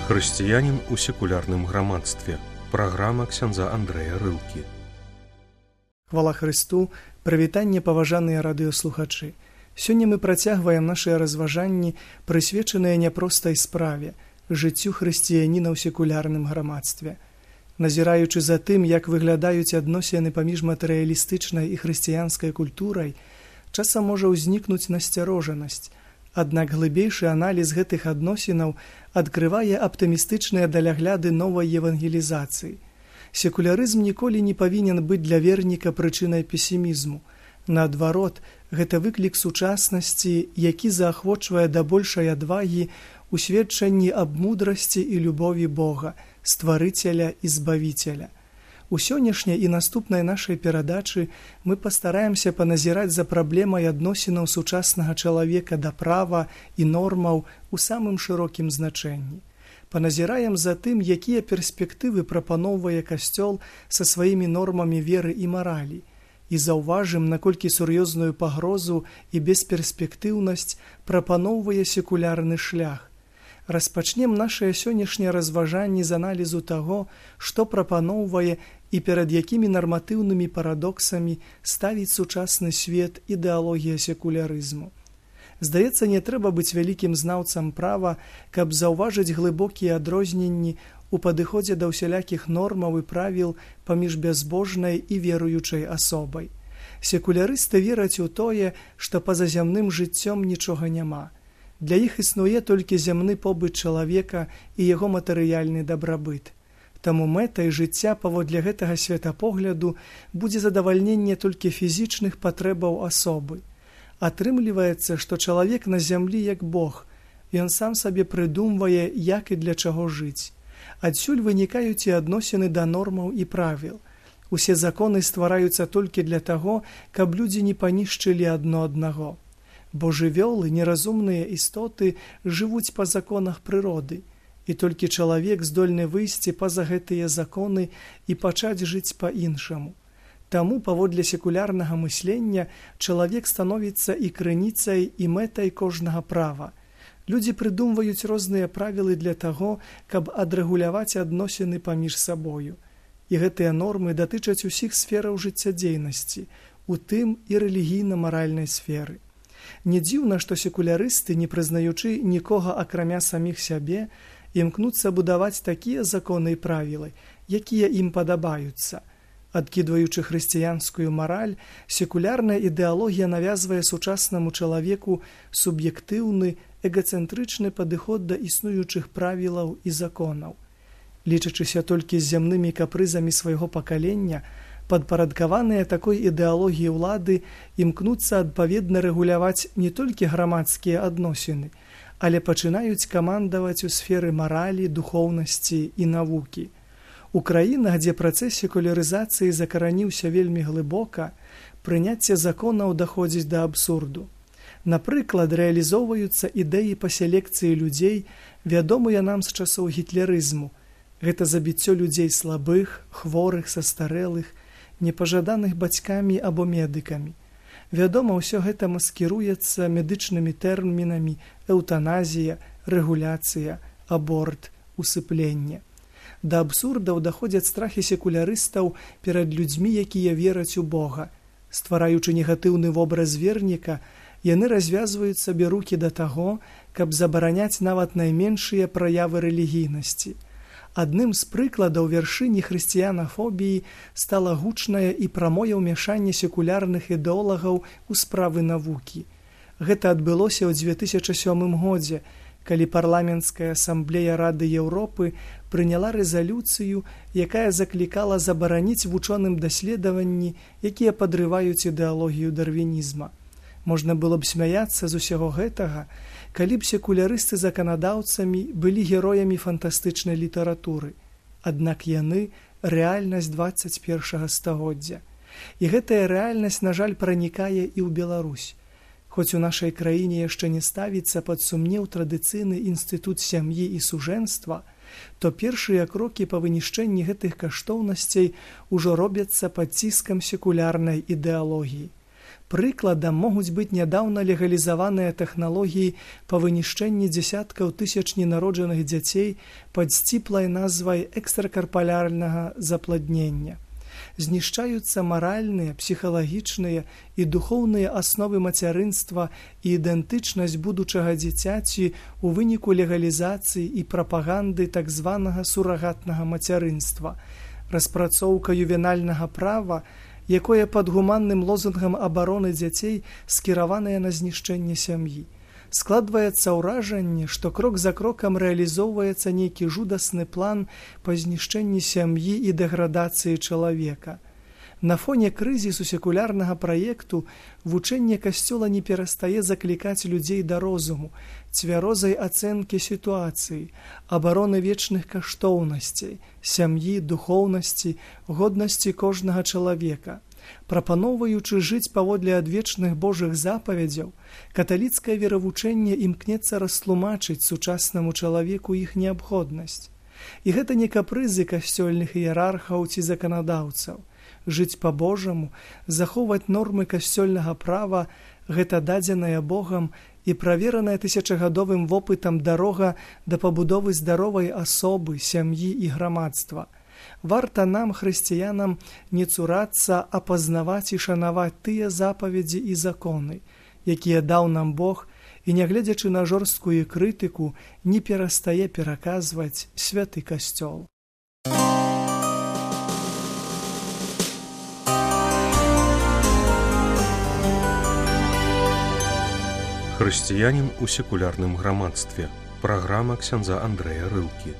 Хрысціянін у секулярным грамадстве. Праграма ксяндза Андрэя Рылкі. Хвала Хрысту, прывітанне, паважаныя радыёслухачы. Сёння мы працягваем нашыя разважанні, прысвечаныя няпростай справе, жыццю хрысціяніна ў секулярным грамадстве. Назіраючы за тым, як выглядаюць адносіны паміж матэрыялістычнай і хрысціянскай культурай, часам можа ўзнікнуць насцярожанасць. Аднак глыбейшы аналіз гэтых адносінаў адкрывае аптымістычныя далягляды новай евангелізацыі. Секулярызм ніколі не павінен быць для верніка прычынай песімізму. Наадварот, гэта выклік сучаснасці, які заахвочвае да большай адвагі у сведчанні аб мудрасці і любові Бога, стварыцеля і збавіцеля. У сённяшняй і наступнай нашай перадачы мы пастараемся паназіраць за праблемай адносінаў сучаснага чалавека да права і нормаў у самым шырокім значэнні. Паназіраем за тым, якія перспектывы прапаноўвае Касцёл са сваімі нормамі веры і маралі, і заўважым, наколькі сур'ёзную пагрозу і бесперспектыўнасць прапаноўвае секулярны шлях. Распачнем нашыя сённяшнія разважанні з аналізу таго, што прапаноўвае і перад якімі нарматыўнымі парадоксамі ставіць сучасны свет ідэалогія секулярызму. Здаецца, не трэба быць вялікім знаўцам права, каб заўважыць глыбокія адрозненні у падыходзе да ўсялякіх нормаў і правіл паміж бязбожнай і веруючай асобай. Секулярысты вераць у тое, што па-за зямным жыццём нічога няма. Для іх існуе толькі зямны побыт чалавека і яго матэрыяльны дабрабыт. Таму мэтай жыцця паводле гэтага светапогляду будзе задавальненне толькі фізічных патрэбаў асобы. Атрымліваецца, што чалавек на зямлі як Бог, ён сам сабе прыдумвае, як і для чаго жыць. Адсюль вынікаюць і адносіны да нормаў і правіл. Усе законы ствараюцца толькі для таго, каб людзі не панішчылі адно аднаго. Бо жывёлы, неразумныя істоты, жывуць па законах прыроды, і толькі чалавек здольны выйсці па-за гэтыя законы і пачаць жыць па-іншаму. Таму, паводле секулярнага мыслення, чалавек становіцца і крыніцай, і мэтай кожнага права. Людзі прыдумваюць розныя правілы для таго, каб адрэгуляваць адносіны паміж сабою. І гэтыя нормы датычаць усіх сфераў жыццядзейнасці, у тым і рэлігійна-маральнай сферы. Не дзіўна, што секулярысты, не прызнаючы нікога акрамя саміх сябе, імкнуцца будаваць такія законы і правілы, якія ім падабаюцца. Адкідваючы хрысціянскую мараль, секулярная ідэалогія навязвае сучаснаму чалавеку суб'ектыўны, эгацэнтрычны падыход да існуючых правілаў і законаў. Лічачыся толькі з зямнымі капрызамі свайго пакалення, падпарадкаваныя такой ідэалогіі ўлады імкнуцца адпаведна рэгуляваць не толькі грамадскія адносіны, але пачынаюць камандаваць у сферы маралі, духоўнасці і навукі. У краінах, дзе працэс секулярызацыі закараніўся вельмі глыбока, прыняцце законаў даходзіць да абсурду. Напрыклад, рэалізоўваюцца ідэі па селекцыі людзей, вядомыя нам з часоў гітлерызму. Гэта забіццё людзей слабых, хворых, састарэлых, непажаданых бацькамі або медыкамі. Вядома, ўсё гэта маскіруецца медычнымі тэрмінамі эўтаназія, рэгуляцыя, аборт, усыпленне. Да абсурдаў даходзяць страхі секулярыстаў перад людзьмі, якія вераць у Бога. Ствараючы негатыўны вобраз верніка, яны развязваюць сабе рукі да таго, каб забараняць нават найменшыя праявы рэлігійнасці. Адным з прыкладаў вяршыні хрысціянафобіі стала гучнае і прамое ўмяшанне секулярных ідэолагаў у справы навукі. Гэта адбылося ў 2007 годзе, калі парламенцкая асамблея Рады Еўропы прыняла рэзалюцыю, якая заклікала забараніць вучоным даследаванні, якія падрываюць ідэалогію дарвінізма. Можна было б смяяцца з усяго гэтага, калі б секулярысты заканадаўцамі былі героямі фантастычнай літаратуры. Аднак яны – рэальнасць 21 стагоддзя. І гэтая рэальнасць, на жаль, пранікае і ў Беларусь. Хоць у нашай краіне яшчэ не ставіцца пад сумнеў традыцыйны інстытут сям'і і сужэнства, то першыя крокі па вынішчэнні гэтых каштоўнасцей ужо робяцца пад ціскам секулярнай ідэалогіі. Прыкладам могуць быць нядаўна легалізаваныя тэхналогіі па вынішчэнні дзесяткаў тысяч ненароджаных дзяцей пад сціплай назвай экстракарпалярнага запладнення. Знішчаюцца маральныя, псіхалагічныя і духоўныя асновы мацярынства і ідэнтычнасць будучага дзіцяці ў выніку легалізацыі і прапаганды так званага сурагатнага мацярынства. Распрацоўка ювенальнага права, якое пад гуманным лозунгам абароны дзяцей скіраванае на знішчэнне сям'і. Складваецца ўражанне, што крок за крокам рэалізоўваецца нейкі жудасны план па знішчэнні сям'і і дэградацыі чалавека. На фоне крызісу секулярнага праекту вучэнне Касцёла не перастае заклікаць людзей да розуму, цвярозай ацэнкі сітуацыі, абароны вечных каштоўнасцей, сям'і, духоўнасці, годнасці кожнага чалавека. Прапаноўваючы жыць паводле адвечных Божых запаведзяў, каталіцкае веравучэнне імкнецца растлумачыць сучаснаму чалавеку іх неабходнасць. І гэта не капрызы касцёльных іерархаў ці заканадаўцаў. Жыць па-божаму, захоўваць нормы касцёльнага права – гэта дадзеная Богам і правераная тысячагадовым вопытам дарога да пабудовы здаровай асобы, сям'і і грамадства. Варта нам, хрысціянам, не цурацца, а пазнаваць і шанаваць тыя запаведзі і законы, якія даў нам Бог, і, нягледзячы на жорсткую крытыку, не перастае пераказваць святы касцёл. Хрысціянін у секулярным грамадстве. Праграма ксяндза Андрэя Рылкі.